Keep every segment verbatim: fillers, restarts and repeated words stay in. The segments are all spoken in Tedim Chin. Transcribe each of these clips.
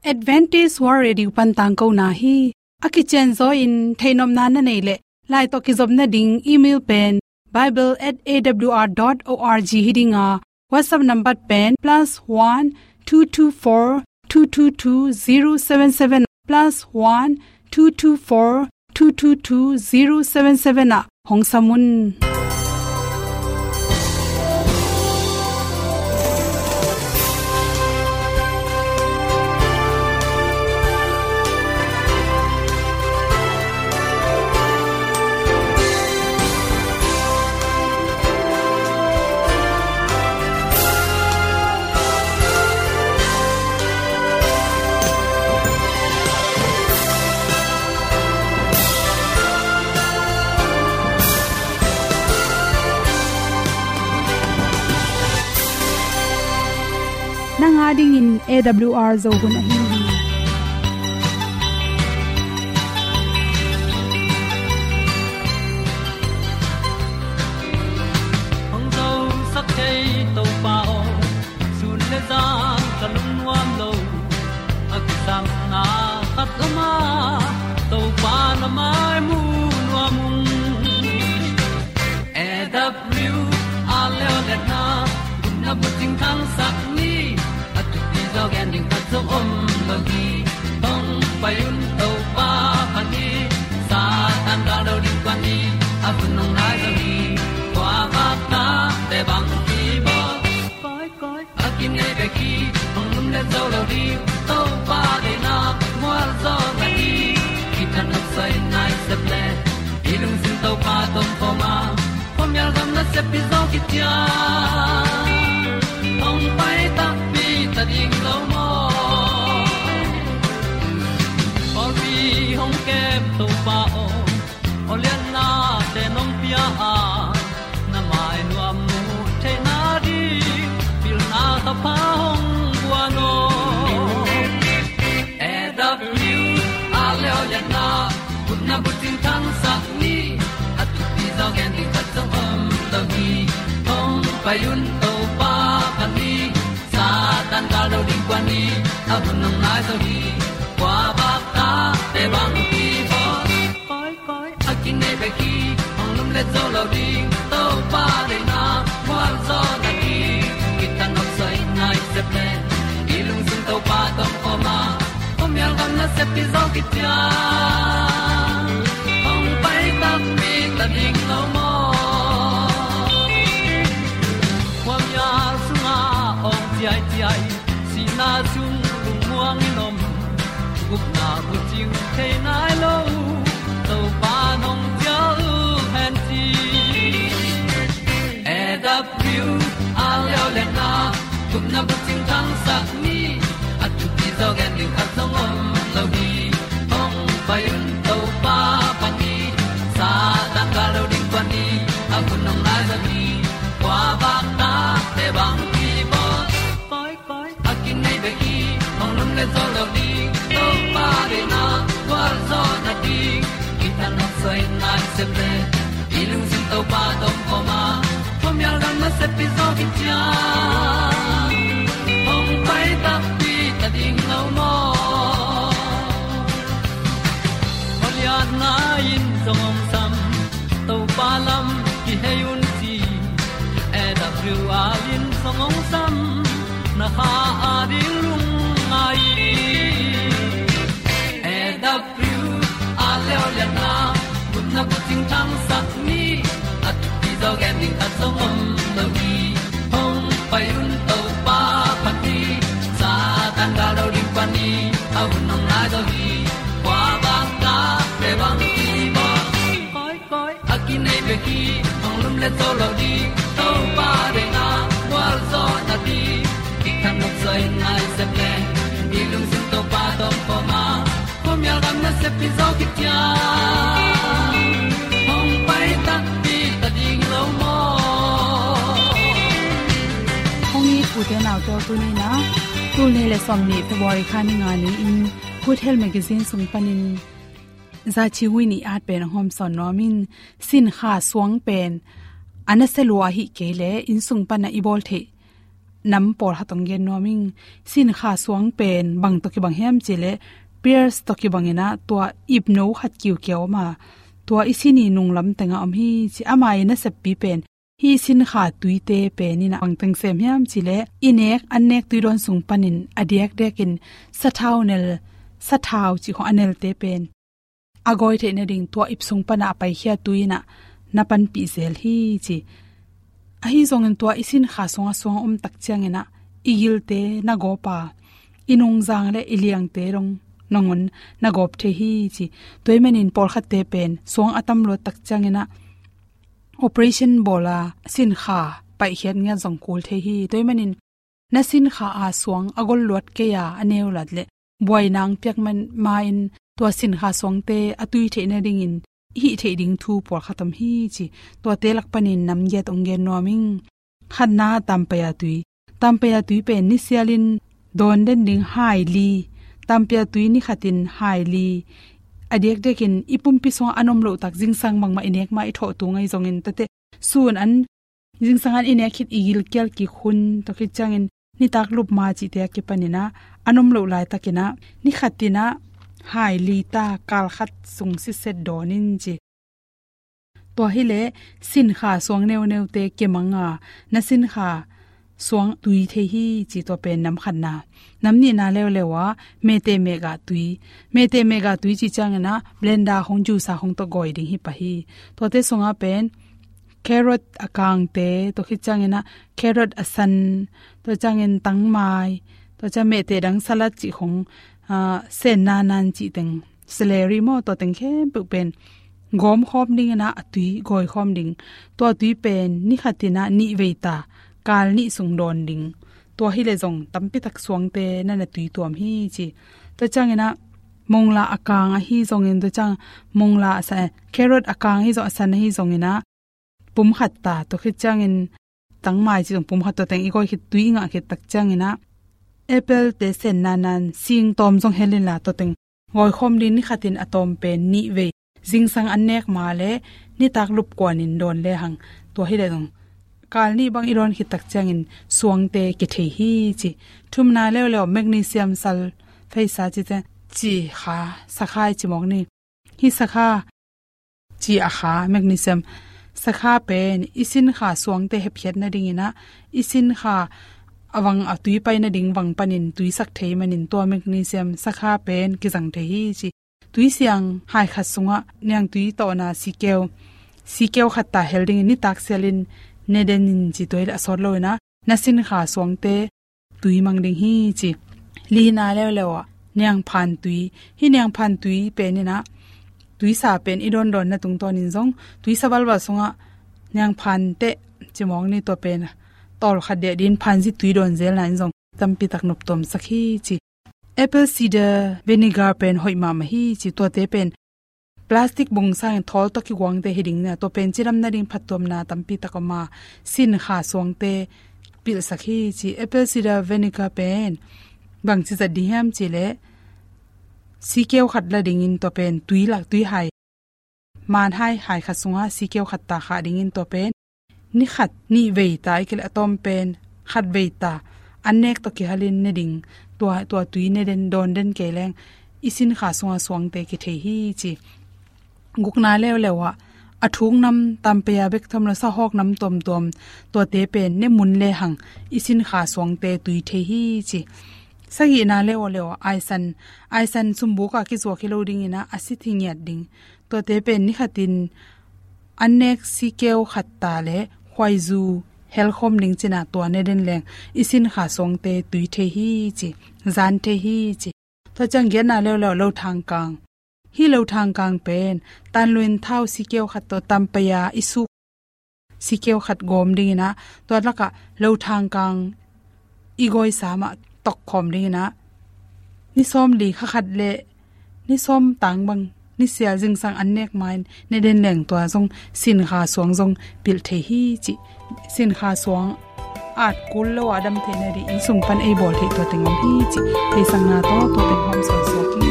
Adventist World Radio pan tangkona hi. A kicianzaw in theihnopna na neih leh, lai tawh kizopna ding email pen bible at A W R dot org hi ding a, WhatsApp number pen plus one two two four two two two zero seven seven, plus one two two four two two two zero seven seven ah hong sam un. Nang a dingin A W R Zo hun ahi hi. Hong zosak thei Topa aw, sun le zan ka lungnuam lo. A kisapna khat om a, Topa na mai mu nuam ung. A W R leo le na, gupna bucing thangsak ni, a thupi zaw gen ding khat zong om lo hi. Hong pai un Topa pan hi, Satan gal do ding pan hi, a hun hong nai zo hi. Kua bak ta te bang hi bawl. Koi, koi, a kinei bek hi, hong lum le zo lo ding, Topa deihna mual zaw na hi. Kitang nok soi nai sep le, i lungsim Topa tawh kawm a, khuamial gam nasep pi zaw kician. Hong pai takpi ta ding lo maw? Pawlpi hong kem Topa aw, aw lianna te nong pia a, na mai nuam mu theihna ding, pilna thapha hong guan aw. A W R leo le na, gupna bucing thangsak ni, a thupi zaw gen ding khat zong om lo hi. Hong pai un Topa pan hi, Satan gal do ding kuan hi, a hun hong nai zo hi. Kua bak ta te bang hi bawl. Koi, koi, a kinei bek hi, hong lum le zo lo ding, Topa deihna mual zaw na hi. Kitang nok soi nai sep le, i lungsim Topa tawh kawm a, khuamial gam nasep pi zaw kician. Hong pai takpi ta ding lo maw? Khuamial sungah awng ciaiciai, sihna sung lungmuang in om, gupna bucing thei nai lo, Topa nong cial hen ci. A W R leo le na, gupna bucing thangsak ni, a thupi zaw gen ding khat zong om lo hi. Hong pai un Topa pan hi, Satan gal do ding kuan hi, a hun hong nai zo hi. Kua bak ta te bang hi bawl. Koi, koi, a kinei bek hi, hong lum le zo lo ding, Topa deihna gual zaw na ding. Kitang nok soi nai sep le, i lungsim Topa tawh kawm a, khuamial gam nasep pi zaw kician. Hong pai takpi ta ding lo maw? Aw lianna in zong hong sam, Topa lam kihei un ci. A W R in zong hong sam, na kha a ding lungngai. A W R leo le na, gupna bucing thangsak ni, a thupi zaw gen ding khat zong om lo hi. Hong pai un Topa pan hi, Satan gal do ding pan hi, a hun hong nai zo hi. Kua bak ta te bang hi bawl. Koi, koi, a kinei bek hi, hong lum le zo lo ding, Topa deihna gual zaw na ding. Kitang nok soi nai sep le, i lungsim Topa tawh kawm a, khuamial gam nasep pi zaw kician. Hong pai takpi ta ding lo maw? Hong it u te nau te aw, tuni in a, tul nih le sawmnih February kha ni nga ni-in Good Health Magazine sung panin Zaci Win ii at pen hong hawmsawn nuam ing. Sinkha suang pen a nasia lua ahih kei leh inn sung pan a i bawl theih nam pawlkhat hong gen nuam ing. Sinkha suang pen bang tawh kibang hiam cih leh, pears tawh kibang in ah, tua ipno khat kiukia om a, tua i sin i nunglam tengah om hi ci. Ama i naseppi pen, hih sinkha tuite pen in ah bang teng sem hiam cih leh, i nek, an nek tui dawn sung panin a diakdiakin sathau nel, sathau cih khawng a nelte pen a gawi theih nading tua ip sung panah a paikhia tui in ah na panpih zel hi ci. Ahi zongin tua i sinkha sungah suang a om tak ciangin ah i gilte na gawp a, i nungzang le i liangte dong nangawn na gawp thei hi ci. Tua ahih manin pawlkhatte pen suang a tam luat tak ciangin ah operation bawl a sinkha paihkhiat ngiat zong kul thei hi. Tua ahih manin na sinkha a suang a gol luat kei a, a neu luat leh buaina hong piak man ma-in tua sinkha suangte a tui theih nadingin i hih theih ding thu pawlkhat om hi ci. Tuate lak panin nam giat hong gen nuam ing. Khatna, tampaya tui. Tampaya tui pen nisialin dawn den ding hai li. Tampaya tui nikhatin hai li. A diakdiakin i pumpi sungah an om loh tak, zingsang bangmah i nek ma i thawh tung ahi zongin, tate sun an, zingsang an i nek khit i gilkial kik hun, tua khit ciangin nitak lup ma cihte a kipanin ah an om loh laitakin ah, nikhatin ah hai li ta, kal khat sung sitset dawn in ci. Tua hi leh sinkha suang neuneute kimang a, na sinkha suang tui thei hi ci. Tua pen nam khatna. Nam nihna leuleu ah, mete mega tui. Mete mega tui cih ciangin ah blender khawng, juicer khawng tawh gawi ding hi pah hi. Tuate sungah pen carrot a kangte, tua khit ciangin ah carrot a san, tua ciangin tangmai, tua ciang mete dang, salad cih khawng, ah, sen nanan cih teng, celery maw, tua teng khempeuh pen gawm khawm dingin ah a tui gawi khawm ding. Tua tui pen nikhatin ah nih vei ta, kal nih sung dawn ding. Tua hi leh zong tampi tak suangte na na tui tuam hi ci. Tua ciangin ah mongla a kang ahi zongin, tua ciang mongla a san, carrot a kang ahi zong, a san ahi zongin ah pum khat ta, tua khit ciangin tangmai cih zong pum khat, tua teng i gawi khit, tui i ngah khit tak ciangin ah apple te sen nanan sing tawm zong hel inla, tua teng gawi khawm ding. Nikhatin a tawm pen nih vei, zingsang an nek ma le nitak lup kuanin dawn lehang, tua hi leh zong kal nih bang i dawn khit tak ciangin suangte kithei hi ci. Thumna leuleu, magnesium sulfate sa cihte, ci kha, sakha i ci mawk ni. Hih sakha ci a kha, magnesium sakha pen i sinkha suangte hepkhiat nadingin ah, i sinkha a vang, a tui pai nading vang panin tuisak thei manin tua magnesium sakha pen kizang thei hi ci. Tui siang hai khat sungah niangtui tawhna sikeu, sikeu khat ta hel dingin nitak sialin ne den in ci. Tua hi leh a sawt loin ah na sinkha suangte tui mang ding hi ci. Lina leuleu ah, niangphan tui. Hih niangphan tui pen in ah, tuisa pen i dawndawnna tungtawnin zong, tuisa balbal sungah niangphan teh ci mawk ni, tua pen tawlkhat diah dingin phanzi tui dawn zelna in zong tampi tak noptuamsak hi ci. Apple cider vinegar pen hoih mahmah hi ci. Tuate pen plastic bung sangin thawl tawh kiguangte hi ding na, tua pen cidam nading phattuamna tampi tak om a, sinkha suangte pilhsak hi ci. Apple cider vinegar pen bangci zat ding hiam cih leh, sikeu khat la dingin tua pen tui lak, tui hai, man hai, hai khat sungah sikeu khat ta khah dingin, tua pen ni khat nih vei ta, ahih kei leh a tawm pen khat vei ta, an nek tawh kihalin ne ding. Tua, tua tui ne den, dawn den kei leng i sinkha sunga suangte kithei hi ci. Gukna leuleu ah, a thuk nam, tampaya bek tham lo, sahawk nam tuamtuam, tuate pen ne mun lehang i sinkha suangte tui thei hi ci. Sagihna leuleu ah, aisan, aisan sumbuk ah kizuak hi lo dingin ah, a sit hi ngiat ding. Tuate pen ni khatin an nek sikeu khat ta le khuaizu helkhawm ding cin ah, tua ne den leng i sinkha suangte tui thei hi ci, zan thei hi ci. Tua ciang giatna leuleu, lothang kang. Hih lothang kang pen tanluin thau sikeu khat tawh tampaya i suk sikeu khat gawm dingin ah, tua lakah lothang kang i gawisa mah tokkhawm dingin ah, ni sawmli kha khat le ni sawm tang bang, ni sia zingsang an nek ma-in ne den leng tua zong sinkha suang zong pilh thei hi ci. Sinkha suang at kul lo a dam theihna ding inn sung pan ei bawl theih tua teng om hi ci. Theihsakna tawh tua teng hawm suaksuak hi.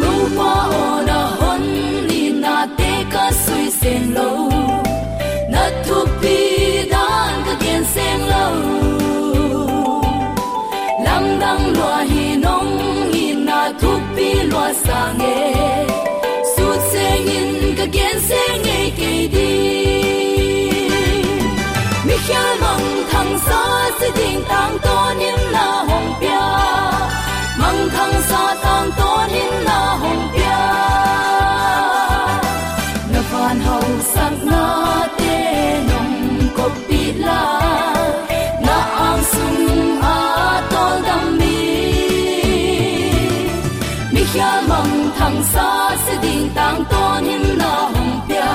Topa aw, na hon nitnate ka sui seng lo, na thupi dan ka gen seng lo. Sang e, sut sengin ka gen seng ngei kei ding. Mikhial mangthang sa si ding tangtawn in na hong pia. Mangthang sa tangtawn in na hong pia. Na van hausaknate nong koppih la, na angsung a tawldam mi. Mikhial mangthang sa si ding tangtawn in na hong pia.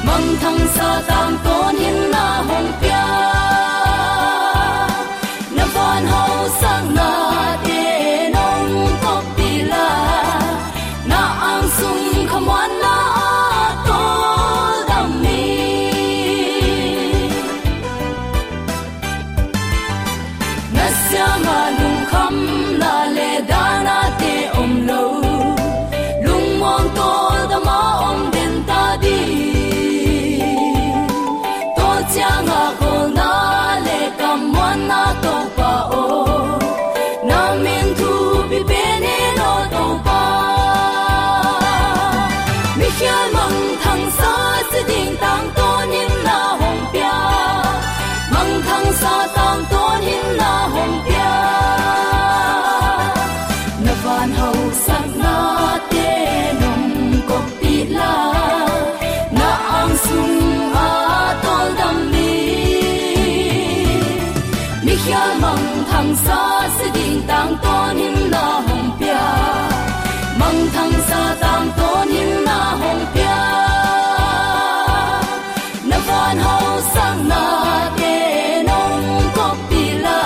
Mangthang sa tangtawn in na hong pia. Na van hausaknate nong koppih la, na angsung khamuanna a tawldam mi. Na siangah lungkhamna le dahnate om lo, lungmuang tawldam a om den ta ding. Tua ciangah kholna le kammuanna Topa aw, na min thupi pen hi lo Topa. Mikhial mangthang sa si ding tangtawn in na hong pia. Mangthang sa tangtawn in na hong pia. Na van hausaknate nong koppih la, na angsung a tawldam mi. Mikhial mangthang sa si ding tangtawn in na hong pia. Mangthang sa tangtawn in na hong pia. Na van hausaknate nong koppih la,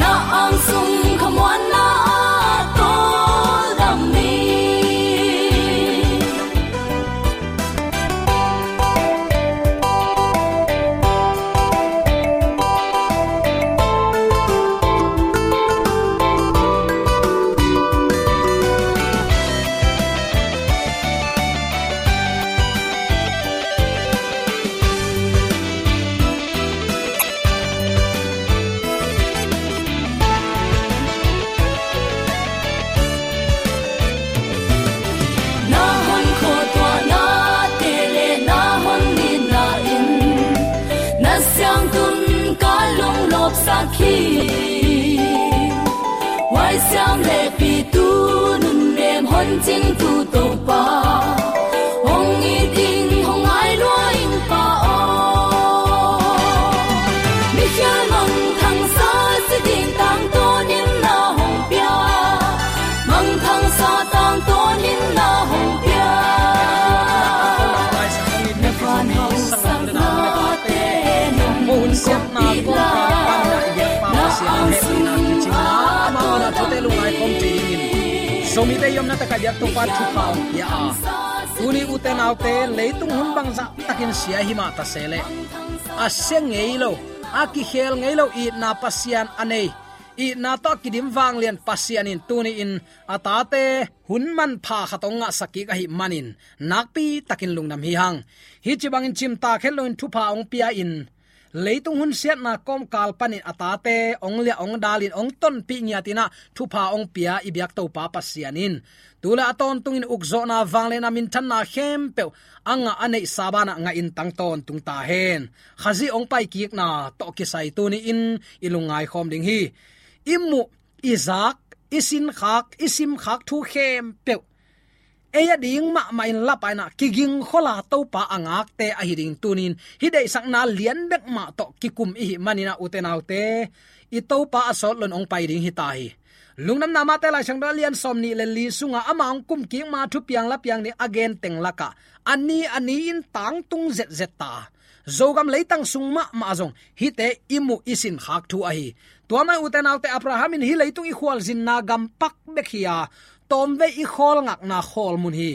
na angsung khamuanna a tawldam mi. Na hon khuatuahnate le na hon nitna in na siangtun ka lunglawpsak hi. Huaisiam le pitu nunnem hon cingtu Topa, hong it ding hong ngai lua ing Pa aw. Mikhial mangthang sa si ding tangtawn in na hong pia. Mangthang sa tangtawn in na hong pia. Na van hausaknate nong koppih la, na angsung a tawldam mi. Zomite i omna takah biak Topa thupha hong pia a, tuni ute naute leitung hun bangzah takin sia himah ta se leh, a sia ngei lo, a kikhel ngei lo itna Pasian a nei, itna tawh a kidim vanglian Pasian in tuni-in a tate hun manpha khat hong ngahsak kik ahih manin nakpi takin lungdam hi hang. Hih ci bangin cimtak het loin thupha hong pia-in, leitung hun siatna kawmkal panin a tate hong liah hong dalin hong tonpih ngiatin ah thupha hong pia i biak Topa Pasian in tu le a tawntungin ukzawhna, vangliatna, minthanna khempeuh a ngah a neihsa banah ngahin tang tawntung ta hen. Khazih hong paikikna tawh kisai tuni-in i lungngaikhawm ding hi. I muh, i zak, i sinkhak, i simkhak thu khempeuh ei a ding mahmah in lapaina kigingkhola Topa a ngakte ahi ding tunin hih deihsakna lian bek mah tawh kikum ihih maninah ute naute, i Topa a sawt loin hong pai ding hita hi. Lungdamna Mate Lai Siangtho a lian sawm nih le li sunga ama hong kumkik ma thupiang lapiang nih a gen teng lakah a ni a ni-in tangtung zetzet ta. Zogam leitang sung mahmah zong hihte i muh i sinkhak thu ahi. Tua mah ute naute, Abraham in hih leitung i khualzinna gam pak bek hi-a, tawmvei i khawlngakna khawlmun hi.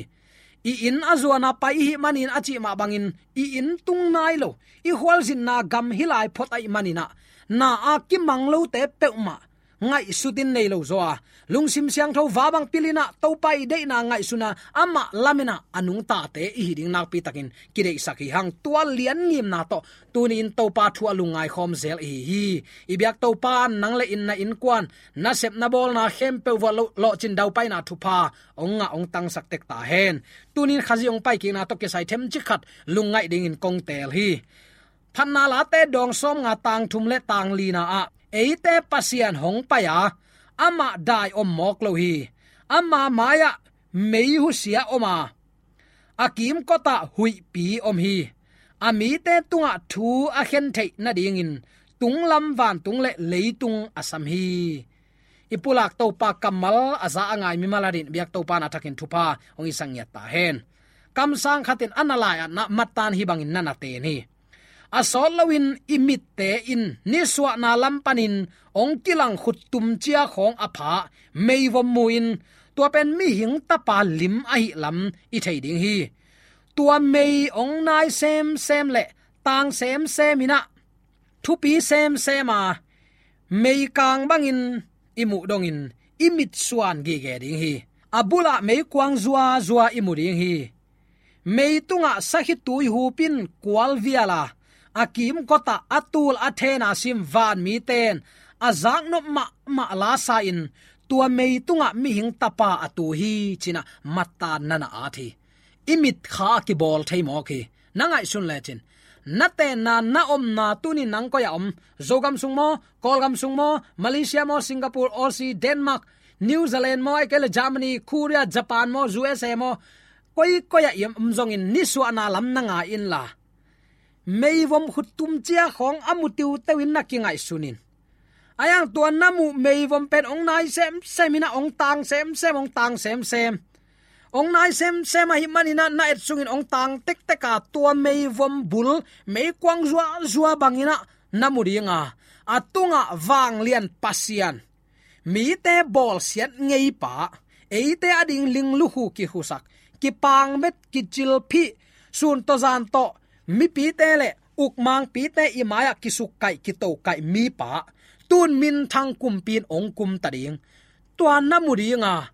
I inn a zuana pai ihih manin a cih mah bangin i inn tung nai lo, i khualzinna gam hih lai phot ahih maninah na a kimang lote peuhmah ngaihsutin nei lo zaw a, lungsim siangtho va bang pilinah Topa i deihna ngaihsuna amah lamenah a nungtate i hi ding nakpitakin kideihsak hi hang. Tua lian ngimna tawh tuni-in Topa thu a lungngai khawm zel i hi hi. I biak Topa, nang le in na innkuan, na sepna bawlna khempeuh vuah lo-, lawhcin daupaina thupha hong ngah hong tangsak tek ta hen. Tuni-in Khazih hong paikikna tawh kisai themcik khat lungngaih dingin kong teel hi. Phatna Late dawng sawmnga tang thum le tang lina ah eite Pasian hong pai a, amah dai om mawk lo hi. Ama mai-ah mei husia om a, a kimkotah huihpi om hi. A mite tungah thu a khen theih nadingin tunglam vantung le leitung a sam hi. I pulak Topa kammal a za a ngai mimal adingin biak Topa na thakin thupha hong i sang ngiat ta hen. Kamsang khatin a na lai-atna mattan hi bangin na na ten hi. A sawt loin i mitte in nisuahna lam panin hong kilang khuttum cia khawng a pha meivom mu-in tua pen mihing tapa lim ahi lam i thei ding hi. Tua mei hong nai semsem le tang semsem inah thupi semsem a, meikang bangin i muh dongin i mitsuan gige ding hi. A bulah meikuang zuazua i mu ding hi. Mei tungah sakhi tui hupin kual vial a, a kimkotah a tul a thena sim vanmite in a zaknop mahmah lasa in tua mei tungah mihing tapa a tu hi cinah mattan na na at hi. I mitkha a kibawl thei mawk hi. Na ngaihsun lecin na tenna, na omna tuni nang koi-ah om? Zogam sung maw, Kawlgam sung maw, Malaysia maw, Singapore, Aussie, Denmark, New Zealand maw, ahih kei le Germany, Korea, Japan maw, U S A maw, koi koi-ah i om zongin nisuahna lam na ngai inla, meivom khuttum cia khawng a mu tiuteu in na kingaihsun in. A iang tua na muh meivom pen hong nai semsem inah hong tang semsem, hong tang semsem. Hong nai semsem ahih maninah na et sungin hong tang tektek a, tua meivom bul meikuang zuazua banginah na mu ding a, a tungah vanglian Pasian, mite bawlsiat ngeipa, eite ading ling lukhu kikhusak, kipangmet kicilphih, sun tawh zan tawh mipite le ukmangpite i mai-ah kisukkaih kitokaih mipa, tun minthang kumpi in hong kumta ding. Tua na mu ding a,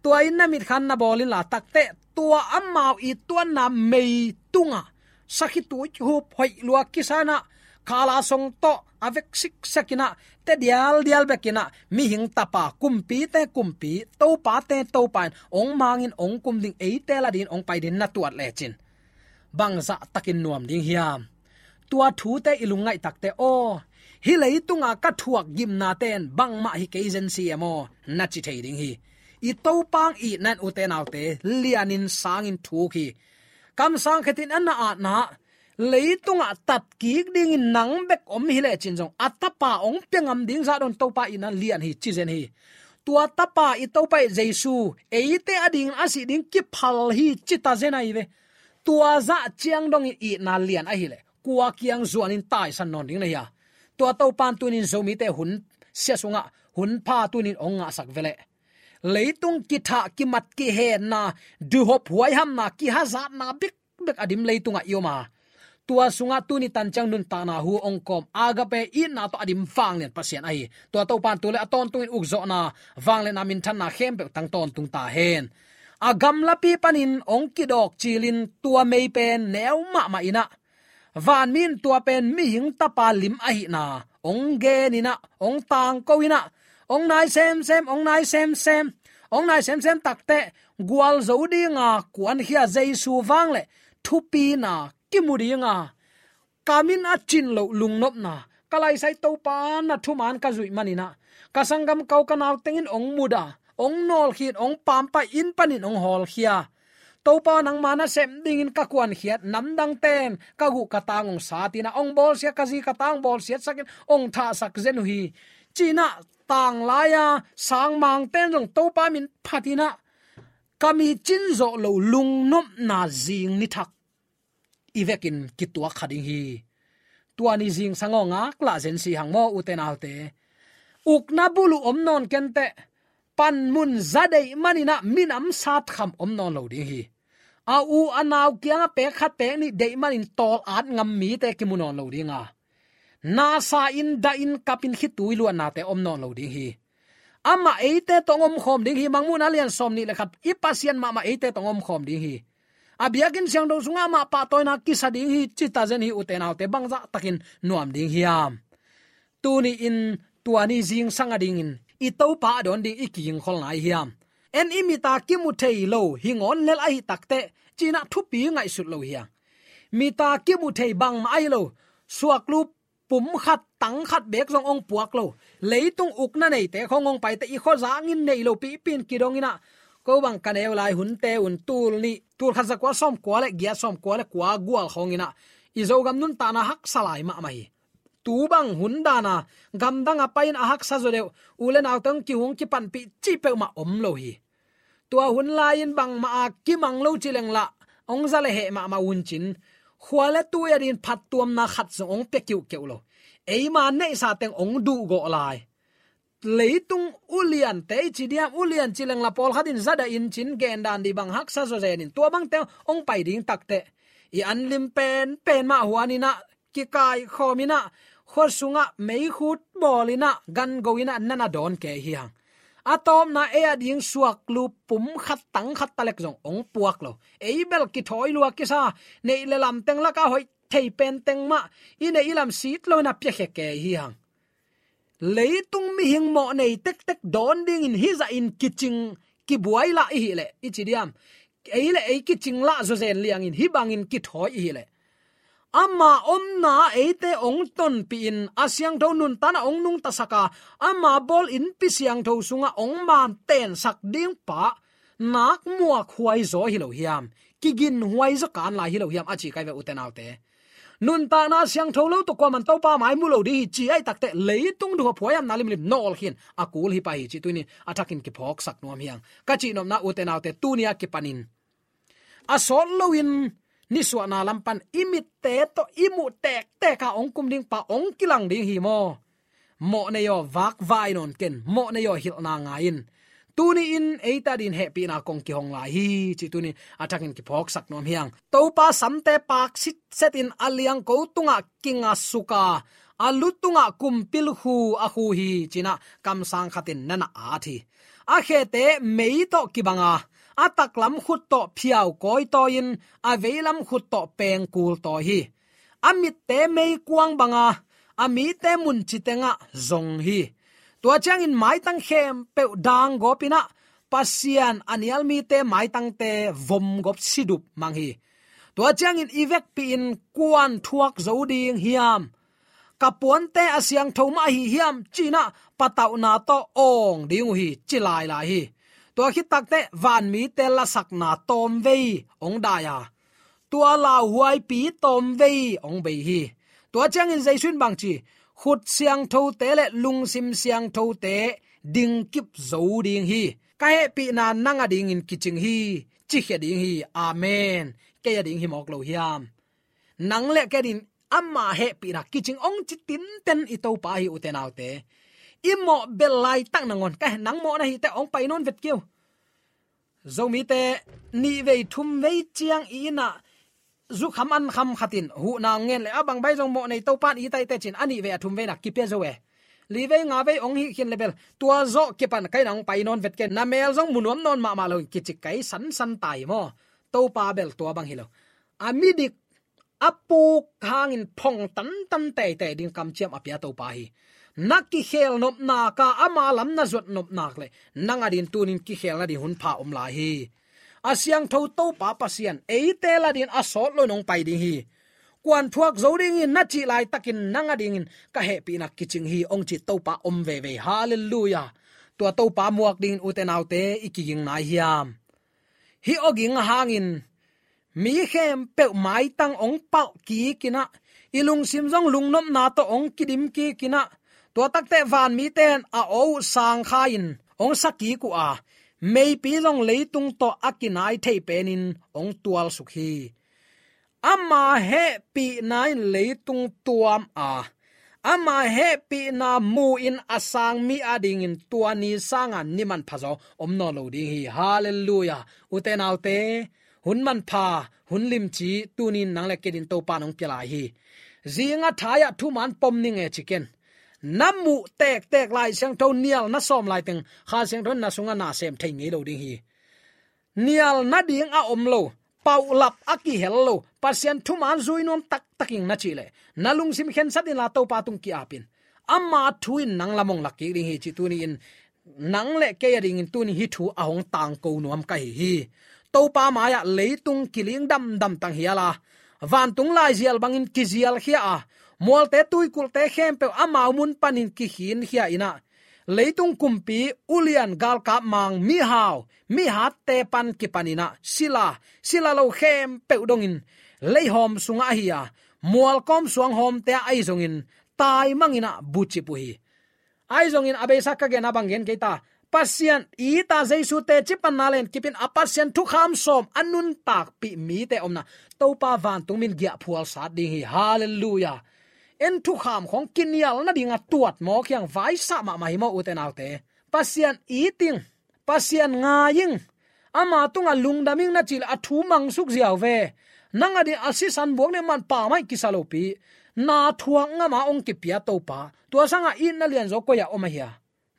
tua in na mitkhan na bawl inla, takteh tua amau i tuanna mei tungah sakhi tui hup hoih lua kisanah khala song tawh a vek siksak inah, te dialdial bek inah mihing tapa, kumpite kumpi, topate topa in hong mangin hong kum ding, eite la dingin hong pai dingin na tuat lecin bangzah takin nuam ding hiam? Tua thute i lungngaih takteh, aw, hih leitunga ka thuak gimnate in bangmah hi kei zen si e maw, na ci thei ding hi. I Topa hong itna in, ute naute, lianin sangin thuk hi. Kamsang khatin a na atna, leitungah tatkik dingin nang bek om hi lecin zong a Tapa hong pia ngam ding zah dong Topa itna lian hi, ci zen hi. Tua Tapa, i Topa i Jesu, eite adingin a sih ding kiphal hi, ci ta zen ahi ve. Tua zah ciang dongin itna lian ahileh kua kiang zuanin taisan nawn ding na hi a? Tua Topa in tunin Zomite hun sia sungah hun pha tunin hong ngahsak veleh. Leitung kithah, kimat, kihenna, duhop, huaihamna, kihazatna bikbek a dim leitungah i om a, tua sungah tuni tanciang nuntakna hu hong kawm, Agape itna tawh a dim vanglian Pasian ahi. Tua Topa in tu le a tawntungin ukzawhna, vangliatna, minthanna khempeuh tang tawntung ta hen. A gamlapi panin hong kidawk cilin tua mei pen neu mahmah inah, vanmi in tua pen mihing Tapa lim ahihna hong gen inah, hong tangko inah, hong nai semsem, hong nai semsem, hong nai semsem takteh, gualzo dinga kuankhia Jesu vang le thupina kimu dinga, ka min a cin loh lungnopna, ka laisai Topa na thuman ka zuih maninah, ka sanggam kau ka nau tengin hong muda, hong nawlkhin, hong pampai, inn panin hong hawlkhia. Topa, nangma nasem dingin ka kuankhiat namdangte in ka guh ka tang hong satinah, hong bawlsia, ka zi ka tang hong bawlsiatsakin hong thahsak zen uh hi, cinah tanglaia sangmangte in zong Topa min phatinah, ka mi cin zawh loh lungnopna zing nithak i vekin kituak kha ding hi. Tua ni zingsang aw, ngaklah zen si hang maw, ute naute. Ukna buluh om nawn kenteh, panmun za deih maninah minam satkham om nawn lo ding hi. A u a nau kiangah pek khat pek nih deih manin tawl at ngam mite kimu nawn lo dinga, nasa in, dah in, kap in, khitui luannate om nawn lo ding hi. Amah eite tawh hong omkhawm ding hi. Mangmuhna lian sawm nih le khat, i Pasian mahmah eite tawh hong omkhawm ding hi. A biakinn siangtho sungah amah pahtawina kisa ding hi, cita zen hi ute naute, bangzah takin nuam ding hiam? Tuni-in tua ni zingsang a dingin i Topa a dawn ding i kigingkhol nai hiam? En i mita kimu thei lo hi ngawn lel ahi takteh, cinah thupi ngaihsut lo hiam? Mita kimu thei bangmah ahi lo, suaklu pum khat, tang khat beek zong hong puak lo. Leitung ukna neite khawng hong paite i khuazangin nei lo pihpin kidong inah, ko bang ka neu lai hunte un tul nih, tul khat zakua sawmkua le giat, sawmkua le kua gual khawng inah i Zogam nuntakna haksa lai mahmah hi. Tu bang hun dana gamdang a pai-in a haksa zaw deuh, u le naute hong kihung kipanpih cih peuhmah om lo hi. Tua hun lai-in bangmah a kimang lo ci leng lah, hong za le heh mahmah un cin, khua le tui a dingin phattuamna khat zong hong pia kiuhkeuh lo. Eima neihsa teng hong duhgawh lai. Leitung uliante i ci diam, ulian ci leng lah pawlkhat in za dah in cin, gendan dih bang haksa zawzenin tua bangte hong pai ding takteh, i anlim penpen mah huan inah, kikaikhawm inah, khua sungah meikhut bawl inah, gango inah, nana dawn kei hi hang. A tawpna ei a ding suaklu pum khat, tang khat talek zong hong puak lo. Ei bel kithawi lua kisa, neih le lam teng lakah hoih thei pen teng mah i neih i lam sit lo inah piakhia kei hi hang. Leitung mihing mawh nei tektek dawn dingin hih zahin kicing kibuai lah i hih leh, i ci diam, ei le ei kicing lah zawzen liangin hih bangin kithawi i hih leh, ama omna eite hong tonpih in a siangtho nuntakna hong nungtasak a, ama bawl innpi siangtho sungah hong mantensak ding pa nakmuak huai zaw hi lo hiam? Kigin huai zaw kan lai hi lo hiam, a ci kai ve ute naute. Nuntakna siangtho lo tawh kuaman Topa mai mu lo ding hi ci ahi takteh, leitung duhhuai huaihamna limlim nawl khin a kul hi pah hi cih tuni a thakin kiphawksak nuam hi hang. Ka cihnopna ute naute, tuni a kipanin a sawt loin nisuahna lam pan i mitte tawh i muh tektek a hong kum ding pa hong kilang ding hi maw? Mawhnei aw, vakvai nawn ken, mawhnei aw, hilhna ngai in. Tuni-in eite a dingin hehpihna kong kihong lai hi cih tuni a thakin kiphawksak nuam hi hang. Topa samte paak sitsetin a liangko tungah kingasuk a, a lu tungah kumpil khu a khu hi, ci-inah kamsang khatin nana at hi. A khete mei tawh kibang a, a taklam khut tawh phiau kawitawi-in, a veilam khut tawh pengkul tawi hi. A mitte meikuang bang a, a mite munci tengah zong hi. Tua ciangin maitang khempeuh danggawp inah, Pasian a nial mite maitangte vomgawp sidup mang hi. Tua ciangin i vekpi-in kuan thuak zo ding hiam? Ka puante a siangtho mah ahi hiam, ci-inah patauhna tawh awng ding uh hi, ci lailai hi. Tua khit takteh vanmite lasakna tawmvei hong dai a, tua lauhuaipi tawmvei hong bei hi. Tua ciangin Jesu in bang ci? Khut siangthote le lungsim siangthote dingkip zo ding hi. Ka hehpihna nang a dingin kicing hi, cikhia ding hi. Amen. Kei a ding hi mawk lo hiam? Nang le kei a dingin ama hehpihna kicing hong ci tinten i Topa hi, ute naute. I mawh bel laitak nangawn, ka he, nang mawh na hi teh hong pai nawn vet kei uh. Zomite nihvei thumvei ciang i innah zukham ankham khatin huhna hong ngen le, a bang bai zong mawhnei Topa in it ahi teh ci-in a nihvei a thumvei na kipia zo e. Livei ngavei hong hih khin le bel, tua zawh kipan ka innah hong pai nawn vet kei, na mel zong mu nuam nawn mahmah loin kicik kai sansan ta hi maw? Topa bel tua bang hi lo. A midik a puk hangin phong tantan teitei ding kamciam a pia Topa hi. Na kikhel nopnak a, ama lam na zuat nopnak le, nang a dingin tunin kikhel nading hun pha om lai hi. A siangtho Topa Pasian eite la dingin a sawt loin hong pai ding hi. Kuan thuak zo ding hi na cih laitakin nang a dingin ka hehpihna kicing hi, hong ci Topa om veve hi. Halleluiah. Tua Topa muak dingin, ute naute, i kiging nai hiam? Hih awging a hangin mi khempeuh maitang hong palh kik inah, i lungsim zong lungnopna tawh hong kidim kik inah, tua takteh vanmite in a aw uh sangkha-in hong sa kik uh a, meipi zong leitung tawh a kinai thei penin hong tualsuk hi. Ama hehpihna in leitung tuam a, ama hehpihna mu-in a sang mi a dingin tua ni sanga ni manpha zaw om nawn lo ding hi. Halleluiah. Ute naute, hun manpha, hun limci tunin nang le kei dingin Topa in hong pia lai hi. Zinga thai-ah thuman pom ning e ci ken. Na muh tektek Lai Siangtho nial na sawm laiteng Kha Siangtho in na sungah na sem thei ngei lo ding hi. Nial nading a om lo, paulap a kihel lo, Pasian thuman zui nuam taktakin na cih leh, na lungsim khensat inla Topa tung ki-ap in. Ama thu in nang lam hong lak kik ding hi cih tuni-in nang le kei a dingin tuni hih thu a hong tangko nuam ka hi hi. Topa mai-ah leitung kiling damdam tang hial a, vantung laizial bangin kizialkhia a, mualte tuikulhte khempeuh amau mun panin kikhinkhia in ah, leitung kumpi, ulian, galkap, mang, mihau, mihatte pan kipan in ah, sila, sila lo khempeuh dongin leihawm sungah ahi a, mualkawm suanghawmte ah ahi zongin taimang in ah bucip uh hi. Ahi zongin a beisa ka gen a bang gen kei ta, Pasian it a Jesu teci panna le en kipin a Pasian thukham sawm a nuntakpih mite omna Topa vantung min giahphual sat ding hi. Halleluiah. En thukham khawng kinial nading a tuat mawk hiang vaisah mahmah hi maw, ute naute? Pasian it ing, Pasian ngai ing, ama tungah lungdam ing na cih leh a thu mangsuk ziau ve. Nang a ding a sisan buak ne man pa mai kisa lopi, na thuak ngam a hong kipia Topa, tua sangah itna lianzaw koi-ah om a hia?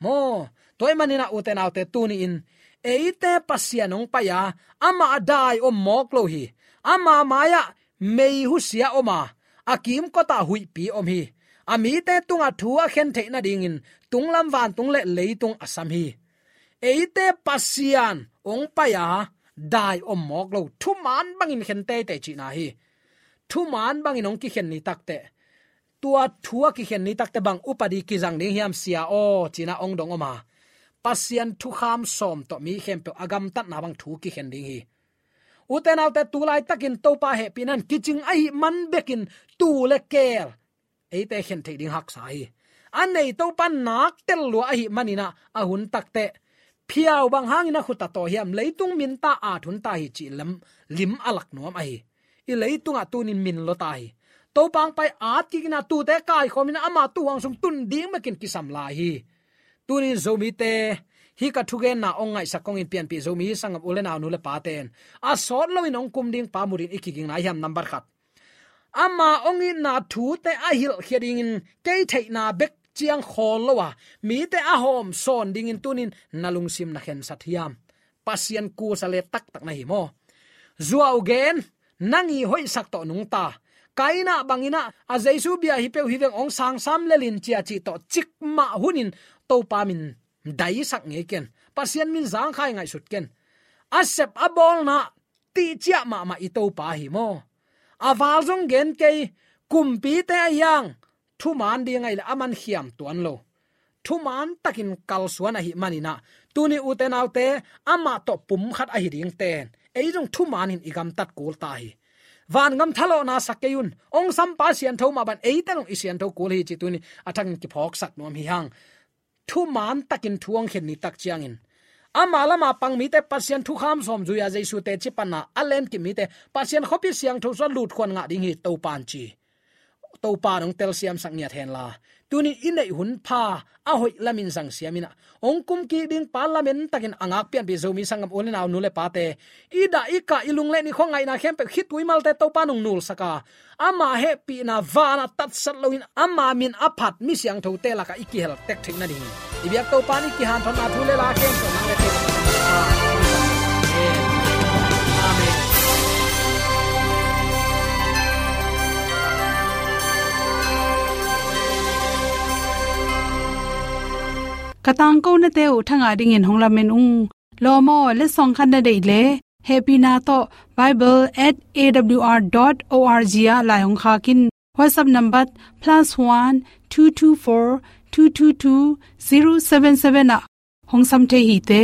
Maw, tua ahih manin ah ute naute tuni-in eite Pasian hong pai a, amah a dai om mawk lo hi. Ama mai-ah mei husia om a, a kimkotah huihpi om hi. A mite tungah thu a khen theih nadingin tunglam vantung le leitung a sam hi. Eite Pasian hong pai a, dai om mawk lo, thuman bangin khen teitei cihna hi. Thuman bangin hong kikhen ni takteh, tua thu a kikhen ni takteh bang upadi kizang ding hiam sia aw, ci-in ah hong dong om a, Pasian thukham sawm tawh mi khempeuh a gamtatna bang thu kikhen ding hi. Ute naute, tu laitakin Topa hehpihna in kicing ahih man bekin tuu le keel eite khen theih ding haksa hi. A nei Topa nak tel lua ahih manin ah a hun takteh, phiau bang hangin a khut a taw hiam, leitung minta at hun ta hi cih lam lim a lak nuam ahi. I leitungah tunin min lua ta hi. Topa hong pai at kik in ah tuute kaikhawm in ah ama tuuhuang sung tun ding bekin kisam lai hi. Tunin Zomite, hih ka thugenna hong ngaihsak kong in pianpih Zomi sanggam u le nau, nu le pate in a sawt loin hong kum ding pa mu dingin i kiging nai hiam? Nambat khat, ama hong itna thute a hilhkhia dingin kei theihna bek ciang khawl lo a, mite a hawm sawn dingin tunin na lungsim na khensat hiam? Pasian kusa le taktak na hi maw? Zuau gen, nang i hoihsak tawh nungta. Kaina bangin ah a Jesu bia hi peuh hi veng, hong sangsam lel in cia cih tawh cikmah hunin Topa min daisak ngei ken. Pasian min zangkhai ngaihsut ken. A sep a bawlna tihciah mahmah i Topa hi maw? A val zong gen kei, kumpite a hiang thuman ding ahih leh aman khiam tuan lo. Thuman takin kalsuan ahih manin ah, tuni ute naute, amah tawh pum khat ahi dingten ei zong thumanin i gamtat kul ta hi. Vangam thalawhna sa kei un, hong sampa siantho mah bangin eite zong i siantho kul hi cih tuni a thakin kiphawksak nuam hi hang. Thuman takin thu hong khen ni tak ciangin, ama lama pang mite Pasian thukham sawm zui a, Jesu teci panna a lenkip mite Pasian khuapi siangtho sungah lutkhuan ngah ding hi Topa'n ci. Topa'n hong telsiamsak ngiat henla, tunin i neih hun pha a hoih lamin zang siam in ah, hong kum kik ding pa lamen takin a ngak pianpih Zomi sanggam u le nau, nu le pate, i dah i kah, i lung le nih khua, ngaihna khempeuh, khitui malte Topa'n hong nulsak a, ama hehpihna vanah tatsat loin ama min a phat mi siangthote lakah i kihel tek theih nadingin i biak Topa'n i kihanthawnna thu le la khempeuh nang le kei Amen. Ka tangkonate uh thangah dingin hong lamen ung. Lawm aw, letsong khat na deih leh, hehpihna tawh bible at A W R dot O R G ah lai hong khak in. WhatsApp number plus one two two four two two two zero seven seven ah hong sam thei hi te.